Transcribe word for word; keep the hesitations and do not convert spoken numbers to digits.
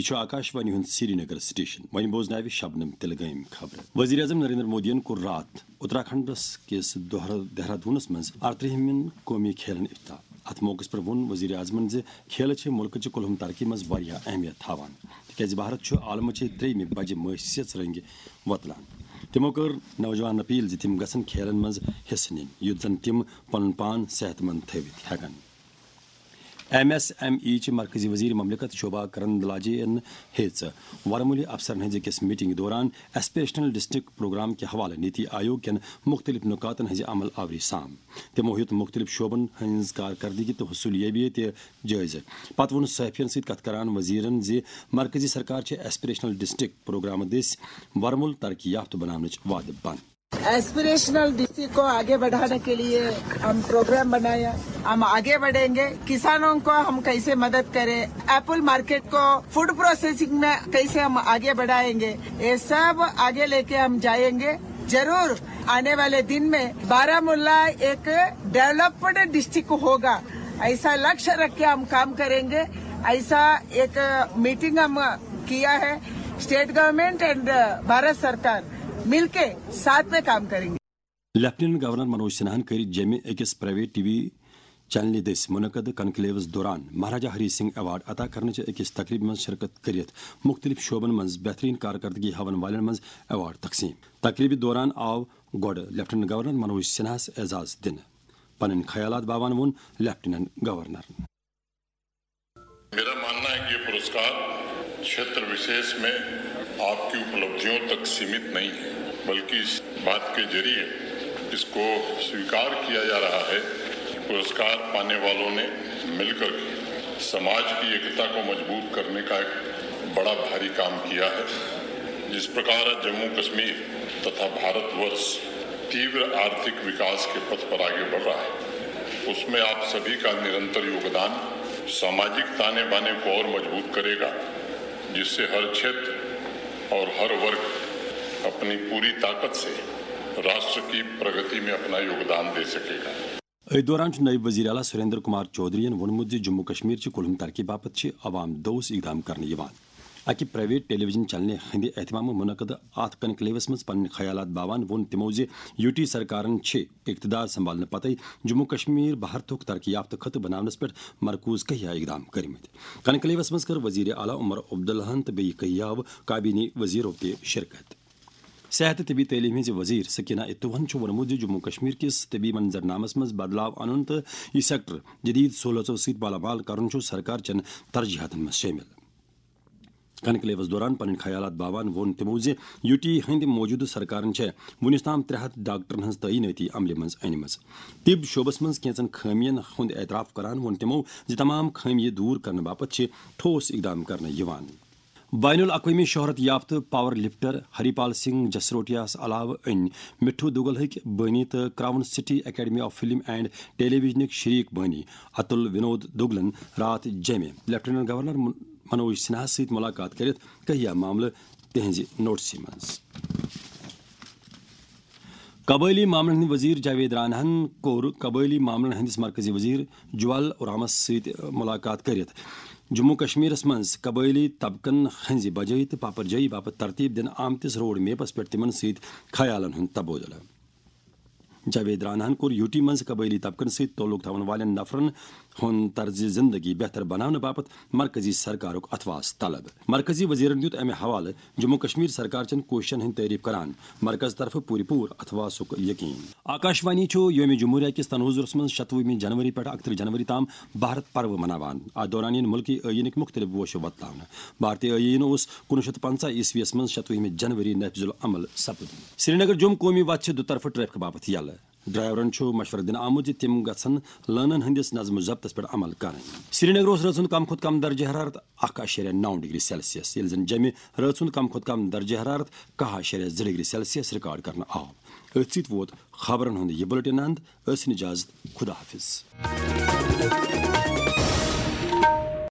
چھُ آکاش وانی ہُنٛد سری نگر سٹیشن۔ وۄنۍ بوزناوِ شبنم تلگٲمۍ خبرٕ۔ وزیر اعظم نریندر مودیَن کوٚر راتھ اتراکھنڈس کِس دوہر-، دہرادوٗنس منٛز ارترٛہمٮ۪ن قومی کھیلن افتتاح۔ اتھ موقعس پٮ۪ٹھ ووٚن وزیر اعظمن زِ کھیلہٕ چھِ مُلکٕچہِ کُلہُم ترقی منٛز واریاہ اہمیت تھاوان، تِکیازِ بھارت چھُ عالمٕچہِ ترٛیٚیِمہِ بجہِ مٲسیژ رنگہِ وۄتلان۔ تِمو کٔر نوجوانن اپیل زِ تِم گژھن کھیلن منٛز حصہٕ نِنۍ، یُتھ زن تِم پنُن پان صحت مند تھٲوِتھ ہٮ۪کن۔ ایم ایس ایم ای چہِ مرکزی وزیر مملکت شوبھا کرندلاجے یَن ہیٚژ ورمُلہِ افسرن ہٕنٛزِ أکِس میٹنگہِ دوران ایسپریشنل ڈسٹرکٹ پروگرام کہِ حوالہٕ نیتی آیوگ کٮ۪ن مُختٔلِف نُکاتن ہٕنٛزِ عمل آوری سام۔ تِمو ہیوٚت مُختٔلِف شعبن ہٕنٛز کارکردگی تہٕ حصولیابی تہِ جٲیزٕ۔ پتہٕ ووٚن صحافین سۭتۍ کتھ کران وزیرن زِ مرکزی سرکار چھِ ایسپریشنل ڈسٹرکٹ پروگرامہٕ دٔسۍ ورمُل ترقی یافتہٕ بناونٕچ وعدٕ بنٛد۔ एस्पिरेशनल डीसी को आगे बढ़ाने के लिए हम प्रोग्राम बनाया। हम आगे बढ़ेंगे। किसानों को हम कैसे मदद करें, एप्पल मार्केट को, फूड प्रोसेसिंग में कैसे हम आगे बढ़ाएंगे, ये सब आगे लेके हम जाएंगे। जरूर आने वाले दिन में बारामूला एक डेवलप्ड डिस्ट्रिक्ट होगा, ऐसा लक्ष्य रख के हम काम करेंगे। ऐसा एक मीटिंग हम किया है। स्टेट गवर्नमेंट एंड भारत सरकार मिलके साथ में काम करेंगे। لیفٹیننٹ گورنر منوج سنہاہن کٔرۍ جیٚمہِ أکِس پرائیویٹ ٹی وی چینلہِ دٔسۍ منعقد کنکلیوس دوران مہاراجا ہری سنگھ ایوارڈ عطا کرنٕچ أکِس تقریبہِ منٛز شرکت کٔرِتھ مُختٔلِف شعبن منٛز بہتریٖن کارکردگی ہاون والٮ۪ن منٛز ایوارڈ تقسیٖم۔ تقریبہِ دوران آو گۄڈٕ لیفٹیننٹ گورنر منوج سنہاہس اعزاز دِنہٕ۔ پنٕنۍ خیالات باوان ووٚن لیفٹیننٹ گورنرن۔ मेरा मानना है कि ये पुरस्कार क्षेत्र विशेष में आपकी उपलब्धियों तक सीमित नहीं है, बल्कि इस बात के जरिए इसको स्वीकार किया जा रहा है कि पुरस्कार पाने वालों ने मिलकर के समाज की एकता को मजबूत करने का एक बड़ा भारी काम किया है। जिस प्रकार आज जम्मू कश्मीर तथा भारतवर्ष तीव्र आर्थिक विकास के पथ पर आगे बढ़ रहा है, उसमें आप सभी का निरंतर योगदान सामाजिक ताने बाने को और मजबूत करेगा, जिससे हर क्षेत्र और हर वर्ग अपनी पूरी ताकत से राष्ट्र की प्रगति में अपना योगदान दे सकेगा। أتھۍ دوران چھُ نٲیِب وزیر اعلیٰ سریندر کمار چودھری یَن ووٚنمُت زِ جموں کشمیر چہِ کُلہُم ترقی باپتھ چھِ عوام دوست اقدام کرنہٕ یِوان۔ اکہِ پرائیویٹ ٹیلی ویژن چینلہِ ہٕنٛدِ اہتمامہٕ منعقد اتھ کنکلیوس منٛز پنٕنۍ خیالات باوان ووٚن تِمو زِ یو ٹی سرکارن چھِ اقتدار سنبھالنہٕ پتَے جموں کشمیر بھارتُک ترقی یافتہٕ خطہٕ بناونس پٮ۪ٹھ مرکوز کہیا اقدام کٔرمٕتۍ۔ کنکلیوس منٛز کٔر وزیر اعلیٰ عمر عبداللہن تہٕ بیٚیہِ کہیاو کابینی وزیرو تہِ شرکت۔ صحت تہٕ طبی تعلیٖم ہٕنٛزِ وزیر سکینہ اتوہن چھُ ووٚنمُت زِ جموں کشمیر کِس طبی منظرنامس منٛز بدلاو انُن تہٕ یہِ سیکٹر جدید سہولژو سۭتۍ مالامال کرُن چھُ سرکار چٮ۪ن ترجیحاتن منٛز شٲمِل۔ کنکلیوس دوران پنٕنۍ خیالات باوان ووٚن تِمو زِ یو ٹی ہٕنٛدِ موجودٕ سرکارن چھےٚ وُنیُس تام ترٛےٚ ہتھ ڈاکٹرن ہٕنٛز تعینٲتی عملہِ منٛز أنمٕژ۔ طب شعبس منٛز کینٛژن خٲمین ہُنٛد اعتراف کران ووٚن تِمو زِ تمام خٲمیہِ دوٗر کرنہٕ باپتھ چھِ ٹھوس اقدام کرنہٕ یِوان۔ بین الاقوٲمی شہرت یافتہٕ پاور لفٹر ہری پال سنگھ جسروٹیاہس علاوٕ أنۍ مٹھو دوگل ہٕکۍ بٲنی تہٕ crown city academy of film and ٹیلی ویژنٕکۍ شریک بٲنی اتل ونود دوگلن راتھ جیٚمہِ لیفٹیننٹ گورنر من-، منوج سنہاہس سۭتۍ ملاقات کٔرِتھ کہیا معاملہٕ تِہنزِ نوٹسہِ منٛز۔ قبٲئلی معاملن ہٕنٛدۍ وزیر جاوید راناہن کوٚر قبٲئلی معاملن ہٕنٛدِس مرکزی وزیر جوال اورامس سۭتۍ ملاقات کٔرِتھ جموں کشمیرس منٛز قبٲئلی طبقن ہٕنٛزِ بجٲیی تہٕ پاپرجٲیی باپتھ ترتیب دِنہٕ آمتِس روڈ میپس پٮ۪ٹھ تِمن سۭتۍ خیالن ہُنٛد تبادلہٕ۔ جاوید راناہن کوٚر یو ٹی منٛز قبٲئلی طبقن سۭتۍ تعلق تھاون والٮ۪ن نفرن ہُنٛد طرزِ زندگی بہتر بناونہٕ باپتھ مرکزی سرکارُک اتھواس طلب۔ مرکزی وزیرن دیُت امہِ حوالہٕ جموں کشمیر سرکار چٮ۪ن کوٗششن ہٕنٛدۍ تعریف کران مرکز طرفہٕ پوٗرٕ پوٗرٕ اتھواسُک یقین۔ آکاشوانی چھُ یوم جمہوریہ کِس تنوظرس منٛز شتوُہمہِ جنوری پٮ۪ٹھ اکترٕہ جنوری تام بھارت پروٕ مناوان۔ اتھ دوران یِن مُلکی ٲییٖنٕکۍ مُختٔلِف گوشہٕ وۄتلاونہٕ۔ بھارتی ٲییٖن اوس کُنوُہ شیٚتھ پنٛژاہ عیسویس منٛز شتوُہمہِ جنوری نافذ العمل سپُدمُت۔ سرینگر جوم قومی وتھ چھِ دُطرفہٕ ٹریفک باپتھ یلہٕ۔ ڈرائیورن چھُ مشورٕ دِنہٕ آمُت زِ تِم گژھن لٲنن ہٕنٛدِس نظم و ضبطس پٮ۪ٹھ عمل کرٕنۍ۔ سرینگرس رٲژ ہُنٛد کم کھۄتہٕ کم درجہ حرارت اکھ اعشاریہ نو ڈگری سیلسیس، ییٚلہِ زن جیٚمہِ رٲژ ہُنٛد کم کھۄتہٕ کم درجہ حرارت کاہ اعشاریہ زٕ ڈگری سیلسیس ریکارڈ کرنہٕ آو۔ أتھۍ سۭتۍ ووت خبرن ہُنٛد یہِ بُلٹن اند۔ ٲسِن اجازت، خدا حافظ۔